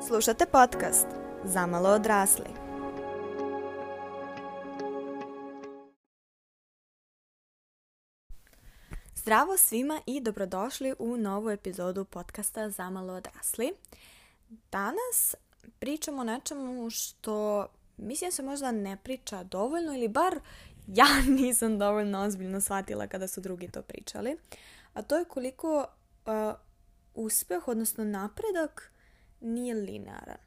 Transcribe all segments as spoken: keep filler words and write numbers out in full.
Slušate podcast Zamalo odrasli. Zdravo svima i dobrodošli u novu epizodu podcasta Zamalo odrasli. Danas pričamo o nečemu što mislim se možda ne priča dovoljno ili bar ja nisam dovoljno ozbiljno shvatila kada su drugi to pričali. A to je koliko uh, uspeh, odnosno napredak, nije linearan.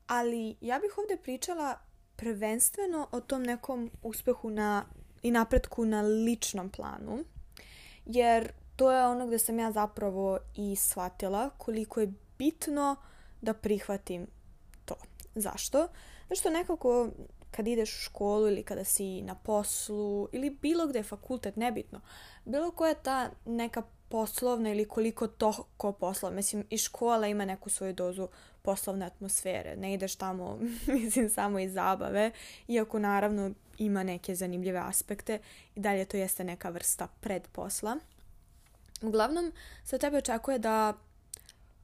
Ali ja bih ovdje pričala prvenstveno o tom nekom uspehu na, i napretku na ličnom planu. Jer to je ono gdje sam ja zapravo i shvatila koliko je bitno da prihvatim to. Zašto? Zato što nekako kad ideš u školu ili kada si na poslu ili bilo gdje fakultet, nebitno, bilo koja je ta neka poslovna ili koliko toliko poslova. Mislim, i škola ima neku svoju dozu poslovne atmosfere. Ne ideš tamo, mislim, samo iz zabave, iako naravno ima neke zanimljive aspekte i dalje to jeste neka vrsta predposla. Uglavnom, se od tebe očekuje da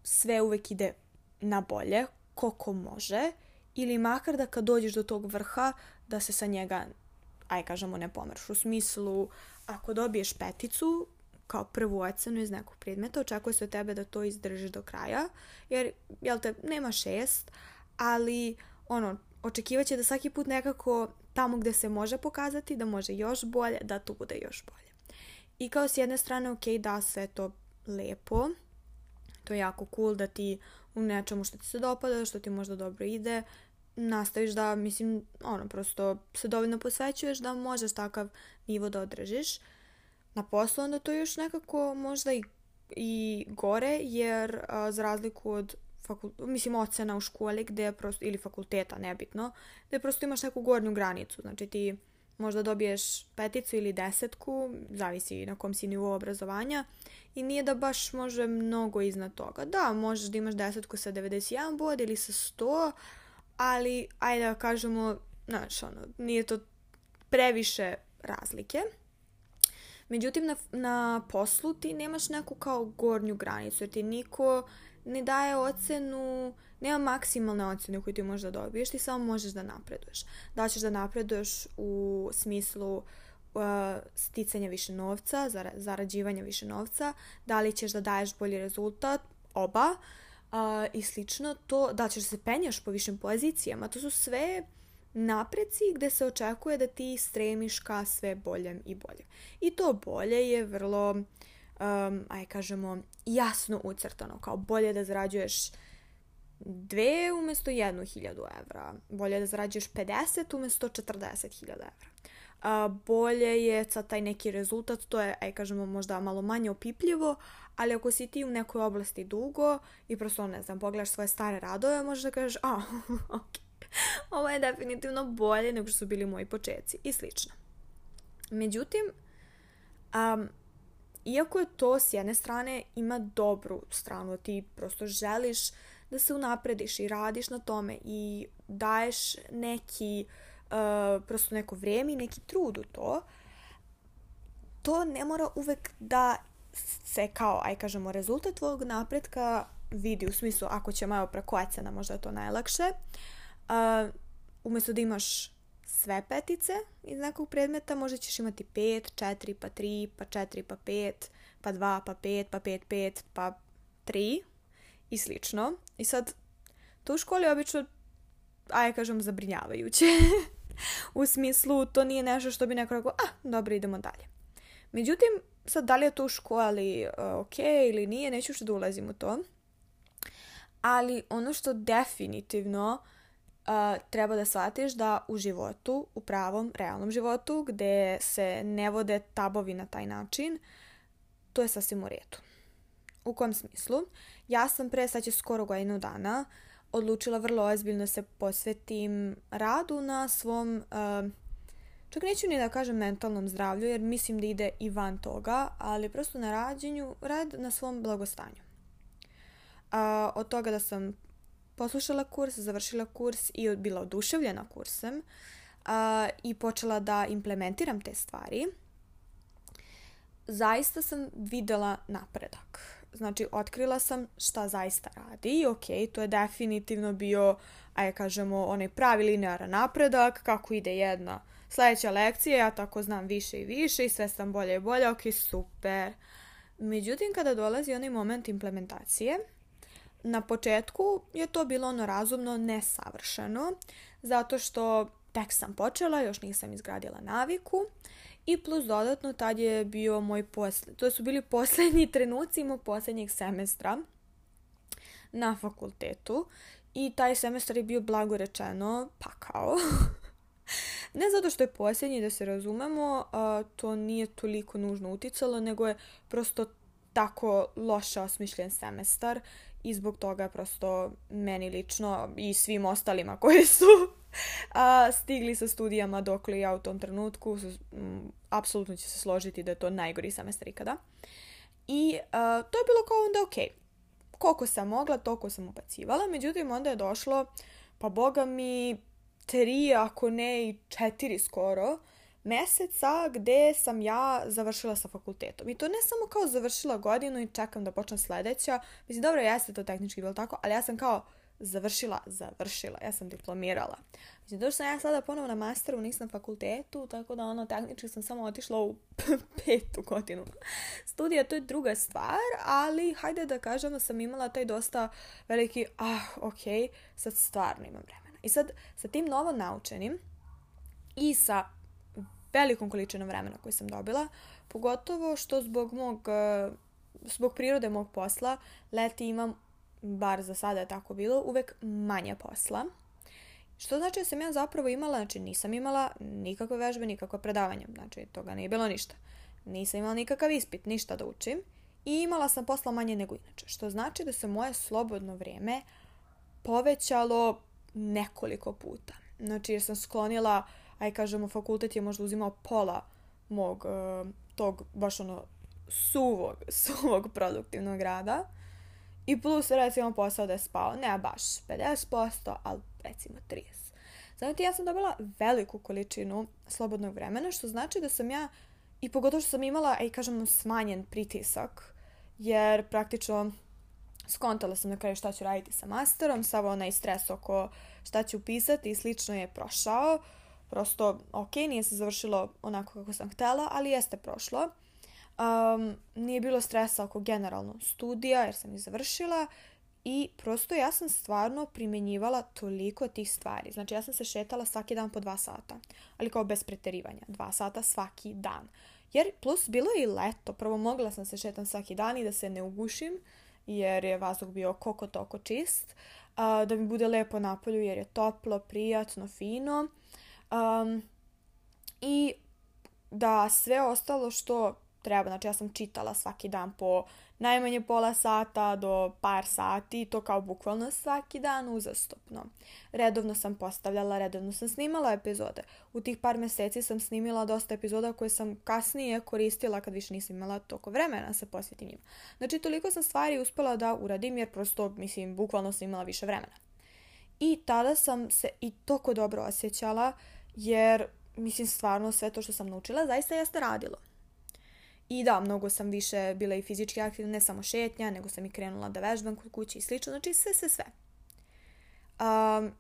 sve uvek ide na bolje, koliko može, ili makar da kad dođeš do tog vrha, da se sa njega, aj kažemo, ne pomreš. U smislu, ako dobiješ peticu, kao prvu ocenu iz nekog predmeta, očekuje se od tebe da to izdržiš do kraja, jer, jel te, nema šest, ali, ono, očekivaće da svaki put nekako tamo gdje se može pokazati, da može još bolje, da to bude još bolje. I kao s jedne strane, ok, da, sve to lepo, to je jako cool da ti u nečemu što ti se dopada, što ti možda dobro ide, nastaviš da, mislim, ono, prosto se dovoljno posvećuješ da možeš takav nivo da održiš. Na poslu onda to još nekako možda i, i gore, jer a, za razliku od fakul... mislim, ocena u školi gdje prosto, ili fakulteta, nebitno, gdje prosto imaš neku gornju granicu. Znači ti možda dobiješ peticu ili desetku, zavisi na kom si nivou obrazovanja, i nije da baš može mnogo iznad toga. Da, možeš da imaš desetku sa devedeset jedan bod ili sa sto, ali ajde da kažemo, znaš, ono, nije to previše razlike. Međutim, na, na poslu ti nemaš neku kao gornju granicu, jer ti niko ne daje ocenu, nema maksimalne ocene koju ti možeš da dobiješ, ti samo možeš da napreduješ. Da ćeš da napreduješ u smislu uh, sticanja više novca, zara, zarađivanja više novca, da li ćeš da daješ bolji rezultat, oba, uh, i slično, to, da ćeš da se penjaš po višim pozicijama, to su sve napreci gdje se očekuje da ti stremiš ka sve boljem i boljem. I to bolje je vrlo, um, aj kažemo, jasno ucrtano, kao bolje da zarađuješ dve umjesto jednu hiljadu evra, bolje da zarađuješ pedeset umjesto četrdeset hiljada evra. Uh, bolje je sad taj neki rezultat, to je, aj kažemo, možda malo manje opipljivo, ali ako si ti u nekoj oblasti dugo i prosto, ne znam, pogledaš svoje stare radove, možeš da kažeš, a, ok, ovo je definitivno bolje nego što su bili moji početci i slično. Međutim, um, iako je to s jedne strane ima dobru stranu, ti prosto želiš da se unaprediš i radiš na tome i daješ neki, uh, prosto neko vrijeme i neki trud u to, to ne mora uvek da se kao, aj kažemo, rezultat tvojeg napretka vidi, u smislu ako ćemo evo preko ocena, možda je to najlakše. Uh, umjesto da imaš sve petice iz nekog predmeta, možda ćeš imati pet, četiri, pa tri, pa četiri, pa pet, pa dva, pa pet, pa pet, pet, pa tri i slično. I sad, to u školi je obično, aj kažem, zabrinjavajuće. U smislu, to nije nešto što bi neko rekao, a, dobro, idemo dalje. Međutim, sad, da li je to u školi uh, ok ili nije, neću što da ulazim u to. Ali ono što definitivno Uh, treba da shvatiš da u životu, u pravom, realnom životu, gdje se ne vode tabovi na taj način, to je sasvim u redu. U kom smislu? Ja sam pre, sad će skoro godinu dana, odlučila vrlo ozbiljno se posvetim radu na svom, uh, čak neću ni da kažem mentalnom zdravlju, jer mislim da ide i van toga, ali prosto na rađenju, rad na svom blagostanju. Uh, od toga da sam poslušala kurs, završila kurs i bila oduševljena kursem uh, i počela da implementiram te stvari, zaista sam videla napredak. Znači, otkrila sam šta zaista radi i ok, to je definitivno bio, ajde kažemo, onaj pravi linearan napredak, kako ide jedna sljedeća lekcija, ja tako znam više i više i sve sam bolje i bolje, ok, super. Međutim, kada dolazi onaj moment implementacije, na početku je to bilo ono razumno nesavršeno, zato što tek sam počela, još nisam izgradila naviku i plus dodatno tad je bio moj posle, to su bili posljednji trenuci mog posljednjeg semestra na fakultetu i taj semestar je bio blago rečeno pakao. Ne zato što je posljednji, da se razumemo, to nije toliko nužno uticalo, nego je prosto tako loše osmišljen semestar i zbog toga je prosto meni lično i svim ostalima koji su a, stigli sa studijama dokle ja u tom trenutku, m, apsolutno će se složiti da je to najgori semestar ikada. I a, to je bilo kao onda ok. Koliko sam mogla, toliko sam ubacivala, međutim onda je došlo, pa boga mi, tri, ako ne i četiri skoro, mjeseca gdje sam ja završila sa fakultetom. I to ne samo kao završila godinu i čekam da počnem sljedeća. Mislim, dobro, jeste to tehnički bilo tako, ali ja sam kao završila, završila. Ja sam diplomirala. Mislim, došla sam ja sada ponovo na masteru, nisam na fakultetu, tako da ono, tehnički sam samo otišla u petu godinu studija. To je druga stvar, ali hajde da kažem da sam imala taj dosta veliki, ah, ok, sad stvarno imam vremena. I sad, sa tim novo naučenim i sa velikom količinom vremena koju sam dobila, pogotovo što zbog mog, zbog prirode mog posla, leti imam, bar za sada je tako bilo, uvek manje posla. Što znači da sam ja zapravo imala, znači nisam imala nikakve vežbe, nikakve predavanja, znači toga nije bilo ništa. Nisam imala nikakav ispit, ništa da učim i imala sam posla manje nego inače. Što znači da se moje slobodno vrijeme povećalo nekoliko puta. Znači jer sam sklonila, aj kažemo, fakultet je možda uzimao pola mog uh, tog baš ono suvog, suvog produktivnog rada i plus recimo posao da je spao, ne baš pedeset posto, ali recimo trideset posto. Znači ja sam dobila veliku količinu slobodnog vremena, što znači da sam ja, i pogotovo što sam imala, aj kažemo, smanjen pritisak, jer praktično skontala sam na kraju šta ću raditi sa masterom, sav onaj stres oko šta ću upisati i slično je prošao. Prosto, ok, nije se završilo onako kako sam htjela, ali jeste prošlo. Um, nije bilo stresa oko generalno studija, jer sam ih završila i prosto ja sam stvarno primjenjivala toliko tih stvari. Znači, ja sam se šetala svaki dan po dva sata, ali kao bez preterivanja. Dva sata svaki dan. Jer plus bilo je i leto. Prvo mogla sam se šetam svaki dan i da se ne ugušim, jer je vazduh bio koliko toko čist. Uh, da mi bude lepo napolju, jer je toplo, prijatno, fino. Um, I da sve ostalo što treba, znači ja sam čitala svaki dan po najmanje pola sata do par sati, to kao bukvalno svaki dan uzastopno. Redovno sam postavljala, redovno sam snimala epizode. U tih par mjeseci sam snimila dosta epizoda koje sam kasnije koristila kad više nisam imala toliko vremena se posvetim njima. Znači toliko sam stvari uspjela da uradim jer prosto, mislim, bukvalno sam imala više vremena. I tada sam se i toliko dobro osjećala jer, mislim, stvarno sve to što sam naučila zaista jeste radilo. I da, mnogo sam više bila i fizički aktivna, ne samo šetnja, nego sam i krenula da vežbam kod kuće i slično. Znači sve, sve, sve. Um,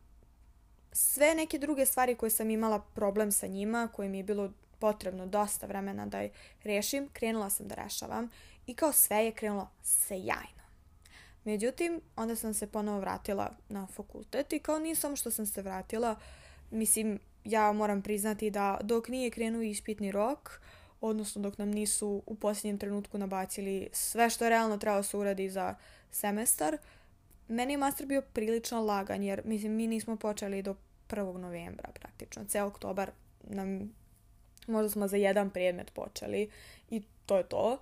sve neke druge stvari koje sam imala problem sa njima, koje mi je bilo potrebno dosta vremena da ih rešim, krenula sam da rešavam i kao sve je krenulo sjajno. Međutim, onda sam se ponovo vratila na fakultet i kao nije samo što sam se vratila, mislim, ja moram priznati da dok nije krenuo ispitni rok, odnosno dok nam nisu u posljednjem trenutku nabacili sve što je realno trebalo se uradi za semestar, meni je master bio prilično lagan, jer mislim, mi nismo počeli do prvog novembra praktično. Ceo oktobar nam, možda smo za jedan predmet počeli i to je to.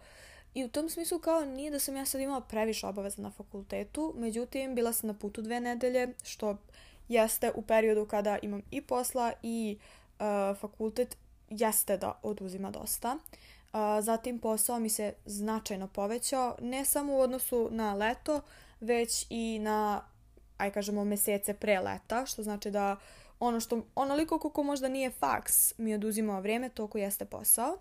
I u tom smislu kao nije da sam ja sad imala previše obaveza na fakultetu, međutim bila sam na putu dve nedelje, što jeste u periodu kada imam i posla i uh, fakultet, jeste da oduzima dosta. Uh, zatim posao mi se značajno povećao, ne samo u odnosu na leto, već i na, aj kažemo, mjesece pre leta, što znači da ono što, onoliko koliko možda nije faks mi oduzimao vrijeme, toliko jeste posao.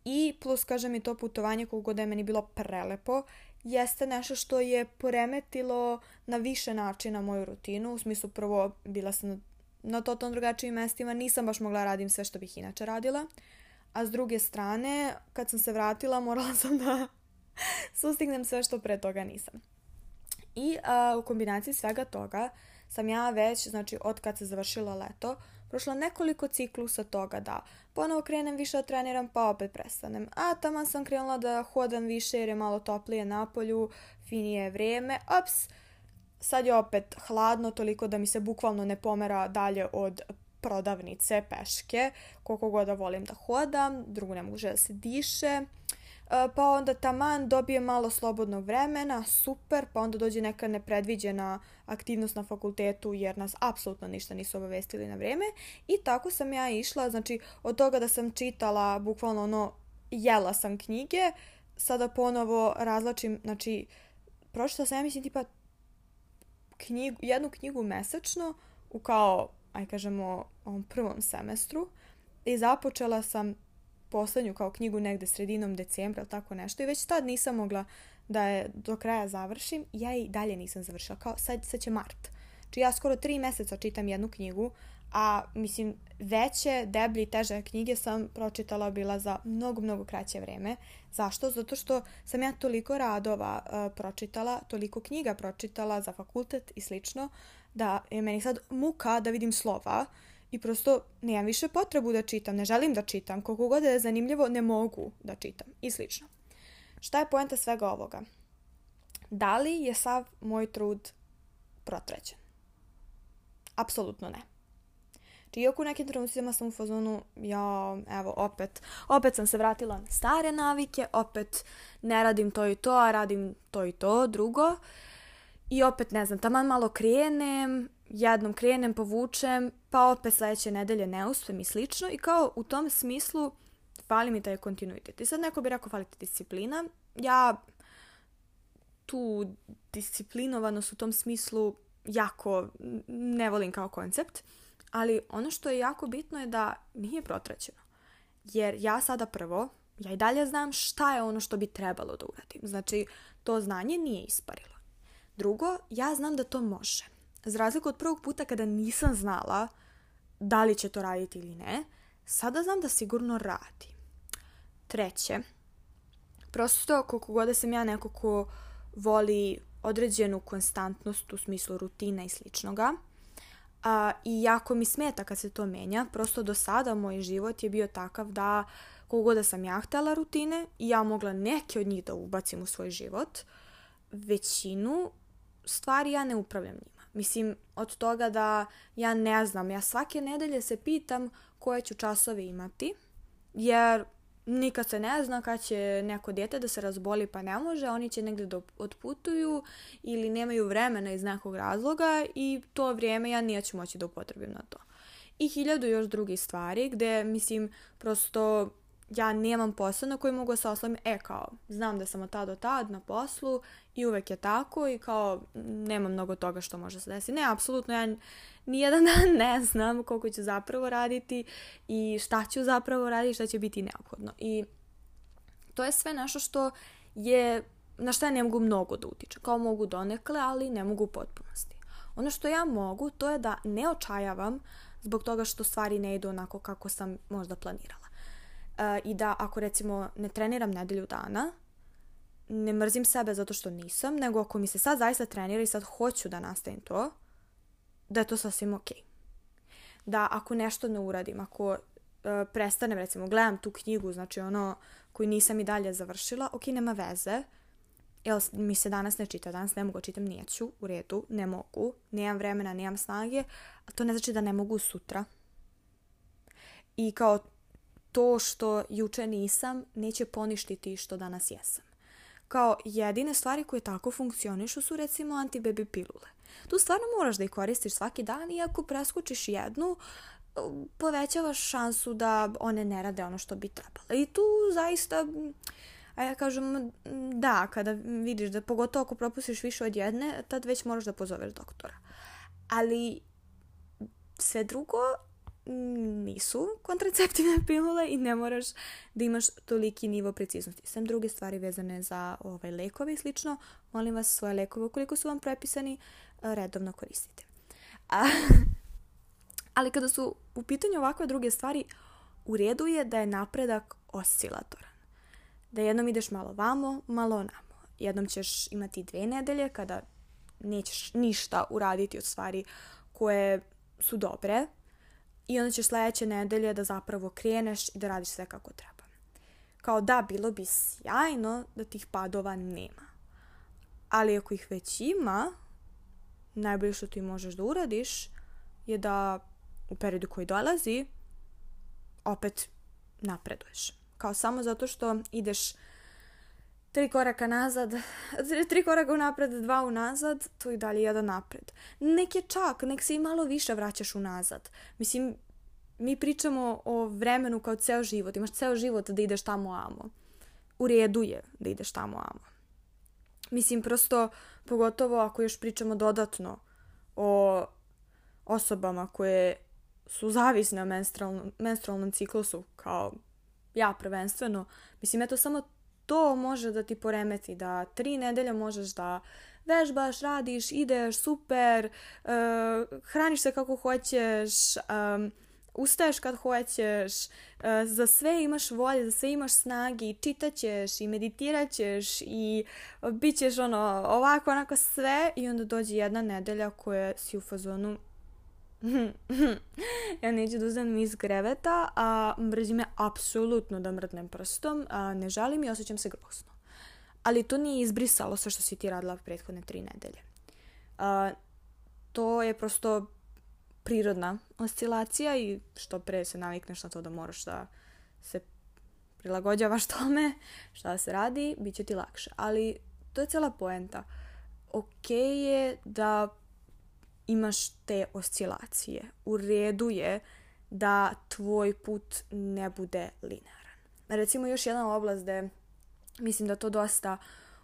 I plus, kažem, i to putovanje koliko god je meni bilo prelepo, jeste nešto što je poremetilo na više načina moju rutinu. U smislu, prvo, bila sam na totalno drugačijim mestima, nisam baš mogla radim sve što bih inače radila. A s druge strane, kad sam se vratila, morala sam da sustignem sve što pre toga nisam. I a, u kombinaciji svega toga sam ja već, znači od kad se završilo leto, prošla nekoliko ciklusa toga da ponovo krenem više da treniram pa opet prestanem. A tamo sam krenula da hodam više jer je malo toplije napolju, finije je vrijeme, ops, sad je opet hladno toliko da mi se bukvalno ne pomera dalje od prodavnice peške, koliko god da volim da hodam, drugo ne može da se diše. Pa onda taman dobije malo slobodnog vremena, super, pa onda dođe neka nepredviđena aktivnost na fakultetu jer nas apsolutno ništa nisu obavestili na vrijeme i tako sam ja išla, znači od toga da sam čitala, bukvalno ono, jela sam knjige, sada ponovo razlačim, znači pročitala sam ja mislim tipa knjigu, jednu knjigu mesečno u kao, aj kažemo, ovom prvom semestru i započela sam poslednju kao knjigu negde sredinom decembra ili tako nešto i već tad nisam mogla da je do kraja završim. Ja i dalje nisam završila. Kao sad, sad će mart. Znači ja skoro tri mjeseca čitam jednu knjigu, a mislim veće, deblje i teže knjige sam pročitala bila za mnogo, mnogo kraće vreme. Zašto? Zato što sam ja toliko radova uh, pročitala, toliko knjiga pročitala za fakultet i slično, da je meni sad muka da vidim slova. I prosto nemam više potrebu da čitam, ne želim da čitam, koliko god je zanimljivo ne mogu da čitam i slično. Šta je poenta svega ovoga? Da li je sav moj trud protrećen? Apsolutno ne. Či iako u nekim trenucima sam u fazonu, ja, evo, opet, opet sam se vratila na stare navike, opet ne radim to i to, a radim to i to, drugo. I opet, ne znam, taman malo krenem, jednom krenem, povučem, pa opet sljedeće nedelje ne uspem i slično. I kao u tom smislu fali mi taj kontinuitet. I sad neko bi rekao fali ti disciplina. Ja tu disciplinovanost u tom smislu jako ne volim kao koncept. Ali ono što je jako bitno je da nije protraćeno. Jer ja sada prvo, ja i dalje znam šta je ono što bi trebalo da uradim. Znači, to znanje nije isparilo. Drugo, ja znam da to može. Za razliku od prvog puta kada nisam znala da li će to raditi ili ne, sada znam da sigurno radi. Treće, prosto koliko god sam ja neko ko voli određenu konstantnost u smislu rutina i sličnoga, a, i jako mi smeta kad se to menja, prosto do sada moj život je bio takav da koliko god da sam ja htjela rutine i ja mogla neke od njih da ubacim u svoj život, većinu stvari ja ne upravljam njima. Mislim, od toga da ja ne znam, ja svake nedelje se pitam koje ću časove imati, jer nikad se ne zna kad će neko dijete da se razboli pa ne može, oni će negdje da otputuju ili nemaju vremena iz nekog razloga i to vrijeme ja neću moći da upotrebim na to. I hiljadu još drugih stvari gdje, mislim, prosto ja nemam posao na koji mogu se oslovim, e kao, znam da sam od tad do tad na poslu i uvek je tako i kao, nema mnogo toga što može se desiti. Ne, apsolutno, ja nijedan dan ne znam koliko ću zapravo raditi i šta ću zapravo raditi, šta će biti neophodno. I to je sve nešto što je, na šta ja ne mogu mnogo da utičem. Kao mogu donekle, ali ne mogu u potpunosti. Ono što ja mogu, to je da ne očajavam zbog toga što stvari ne idu onako kako sam možda planirala. I da ako recimo ne treniram nedelju dana, ne mrzim sebe zato što nisam, nego ako mi se sad zaista trenira i sad hoću da nastavim to, da je to sasvim ok. Da ako nešto ne uradim, ako uh, prestanem, recimo gledam tu knjigu, znači ono koju nisam i dalje završila, ok, nema veze, jer mi se danas ne čita, danas ne mogu čitam, neću, u redu, ne mogu, nemam vremena, nemam snage, a to ne znači da ne mogu sutra. I kao to što juče nisam neće poništiti što danas jesam. Kao jedine stvari koje tako funkcionišu su recimo antibaby pilule. Tu stvarno moraš da ih koristiš svaki dan i ako preskočiš jednu, povećavaš šansu da one ne rade ono što bi trebalo. I tu zaista, a ja kažem, da, kada vidiš da pogotovo ako propustiš više od jedne, tad već moraš da pozoveš doktora. Ali sve drugo nisu kontraceptivne pilule i ne moraš da imaš toliki nivo preciznosti. Sem druge stvari vezane za ovaj, lekove i slično, molim vas svoje lekove ukoliko su vam prepisani, redovno koristite. A, ali kada su u pitanju ovakve druge stvari, u redu je da je napredak oscilatoran. Da jednom ideš malo vamo, malo namo. Jednom ćeš imati dve nedelje kada nećeš ništa uraditi od stvari koje su dobre i onda ćeš sljedeće nedelje da zapravo kreneš i da radiš sve kako treba. Kao da, bilo bi sjajno da tih padova nema. Ali ako ih već ima, najbolje što ti možeš da uradiš je da u periodu koji dolazi opet napreduješ. Kao samo zato što ideš tri koraka nazad, tri koraka unapred, dva unazad, to i dalje jedan napred. Nek je čak, nek se i malo više vraćaš unazad. Mislim, mi pričamo o vremenu kao ceo život. Imaš ceo život da ideš tamo amo. U redu je da ideš tamo amo. Mislim, prosto, pogotovo ako još pričamo dodatno o osobama koje su zavisne o menstrualnom, menstrualnom ciklusu, kao ja prvenstveno. Mislim, eto samo to može da ti poremeti, da tri nedelje možeš da vežbaš, radiš, ideš, super, uh, hraniš se kako hoćeš, um, ustaješ kad hoćeš, uh, za sve imaš volje, za sve imaš snage i čitat ćeš i meditirat ćeš i bit ćeš ono, ovako, onako sve i onda dođe jedna nedelja koja si u fazonu ja neću da uzmem iz kreveta, a mrzi me apsolutno da mrdnem prstom, a ne žalim i osjećam se grozno. Ali to nije izbrisalo sve što si ti radila prethodne tri nedelje. A, to je prosto prirodna oscilacija i što pre se navikneš na to da moraš da se prilagođavaš tome, šta se radi, bit će ti lakše. Ali to je cijela poenta. Okej je da imaš te oscilacije. U redu je da tvoj put ne bude linearan. Recimo još jedna oblast gde mislim da to dosta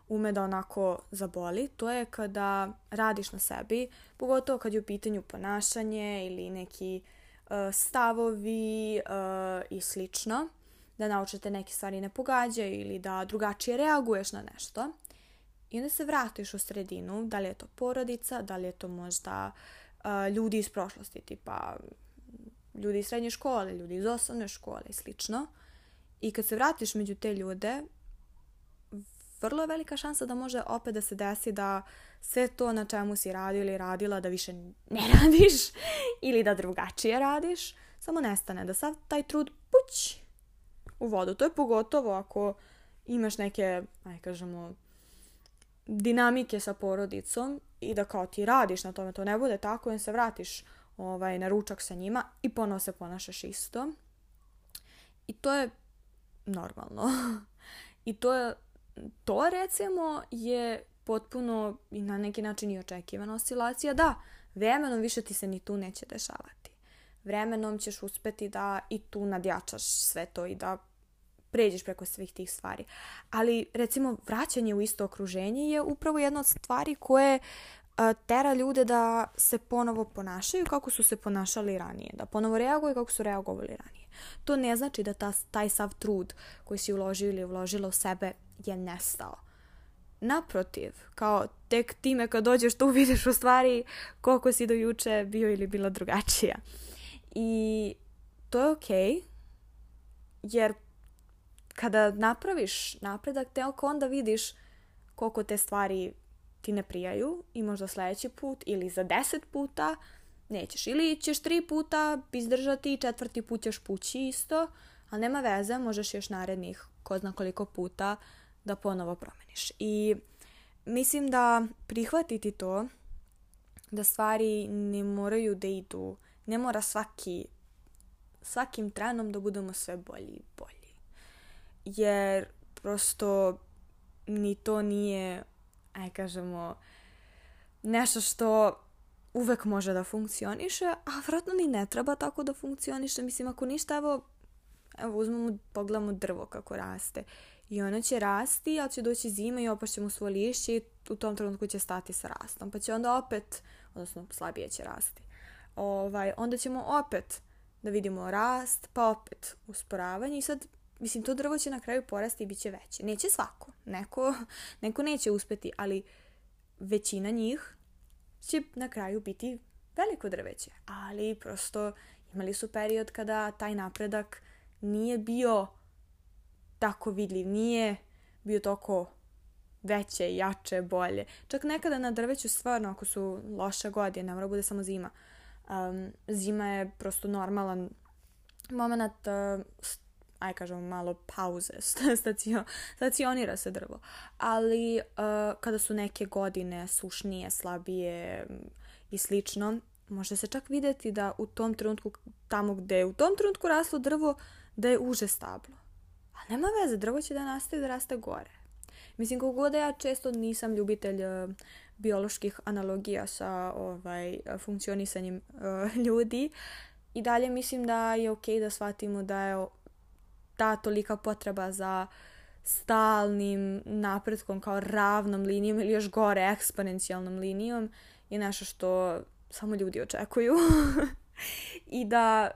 ume da onako zaboli, to je kada radiš na sebi, pogotovo kad je u pitanju ponašanje ili neki uh, stavovi uh, i slično, da naučite neke stvari ne pogađaju ili da drugačije reaguješ na nešto. I onda se vratiš u sredinu, da li je to porodica, da li je to možda uh, ljudi iz prošlosti, tipa ljudi iz srednje škole, ljudi iz osnovne škole i slično. I kad se vratiš među te ljude, vrlo je velika šansa da može opet da se desi da sve to na čemu si radio ili radila da više ne radiš ili da drugačije radiš, samo nestane, da sav taj trud puć u vodu. To je pogotovo ako imaš neke, aj kažemo, dinamike sa porodicom i da kao ti radiš na tome, to ne bude tako i se vratiš ovaj, na ručak sa njima i ponovo se ponašaš isto. I to je normalno. I to je, to recimo je potpuno i na neki način i očekivana oscilacija. Da, vremenom više ti se ni tu neće dešavati. Vremenom ćeš uspeti da i tu nadjačaš sve to i da pređeš preko svih tih stvari. Ali, recimo, vraćanje u isto okruženje je upravo jedna od stvari koje a, tera ljude da se ponovo ponašaju kako su se ponašali ranije. Da ponovo reaguju kako su reagovali ranije. To ne znači da ta, taj sav trud koji si uložio ili uložila u sebe je nestao. Naprotiv, kao tek time kad dođeš tu vidiš u stvari koliko si do juče bio ili bila drugačija. I to je okej, jer kada napraviš napredak, te onda vidiš koliko te stvari ti ne prijaju i možda sljedeći put ili za deset puta nećeš. Ili ćeš tri puta izdržati i četvrti put ćeš pući isto, ali nema veze, možeš još narednih ko zna koliko puta da ponovo promeniš. I mislim da prihvatiti to, da stvari ne moraju da idu, ne mora svaki, svakim trenom da budemo sve bolji i bolji. Jer prosto ni to nije, aj kažemo, nešto što uvek može da funkcioniše, a vjerojatno ni ne treba tako da funkcioniše. Mislim, ako ništa, evo, evo uzmemo, pogledamo drvo kako raste. I ono će rasti, ali će doći zima i opašće mu svoje lišće i u tom trenutku će stati sa rastom. Pa će onda opet, odnosno slabije će rasti. Ovaj, onda ćemo opet da vidimo rast, pa opet usporavanje i sad, mislim, to drvo će na kraju porasti i bit će veće. Neće svako, neko, neko neće uspeti, ali većina njih će na kraju biti veliko drveće. Ali prosto imali su period kada taj napredak nije bio tako vidljiv, nije bio toliko veće, jače, bolje. Čak nekada na drveću stvarno, ako su loše godine, ne mora bude samo zima. Um, zima je prosto normalan moment, uh, aj kažemo malo pauze, stacio, stacionira se drvo. Ali uh, kada su neke godine sušnije, slabije i slično, može se čak vidjeti da u tom trenutku, tamo gdje je u tom trenutku raslo drvo, da je uže stablo. A nema veze, drvo će da nastavi da raste gore. Mislim, kako god da ja često nisam ljubitelj uh, bioloških analogija sa ovaj, funkcionisanjem uh, ljudi, i dalje mislim da je ok da shvatimo da je ta tolika potreba za stalnim napretkom kao ravnom linijom ili još gore eksponencijalnom linijom je nešto što samo ljudi očekuju. I da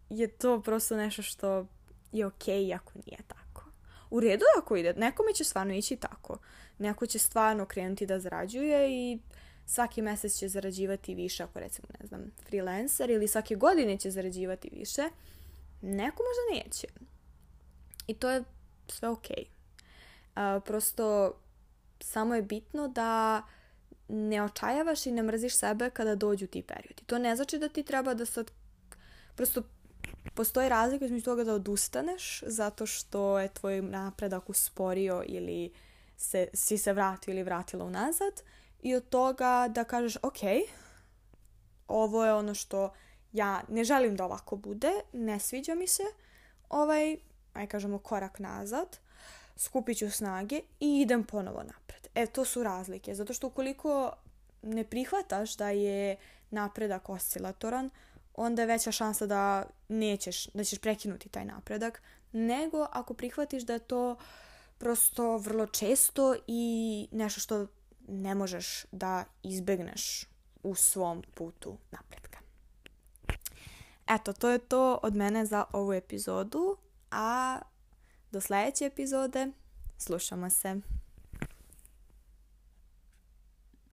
je to prosto nešto što je ok ako nije tako. U redu ako ide, nekome će stvarno ići tako. Neko će stvarno krenuti da zarađuje i svaki mjesec će zarađivati više, ako recimo, ne znam, freelancer, ili svake godine će zarađivati više. Neko možda neće. I to je sve ok. Uh, prosto samo je bitno da ne očajavaš i ne mrziš sebe kada dođu ti periodi. To ne znači da ti treba da sad... Prosto postoji razlika između toga da odustaneš zato što je tvoj napredak usporio ili se, si se vratio ili vratila unazad, i od toga da kažeš ok, ovo je ono što ja ne želim da ovako bude, ne sviđa mi se ovaj, aj kažemo, korak nazad, skupit ću snage i idem ponovo napred. E, to su razlike, zato što ukoliko ne prihvataš da je napredak oscilatoran, onda je veća šansa da nećeš, da ćeš prekinuti taj napredak, nego ako prihvatiš da je to prosto vrlo često i nešto što ne možeš da izbegneš u svom putu napretka. Eto, to je to od mene za ovu epizodu, a do sljedeće epizode slušamo se.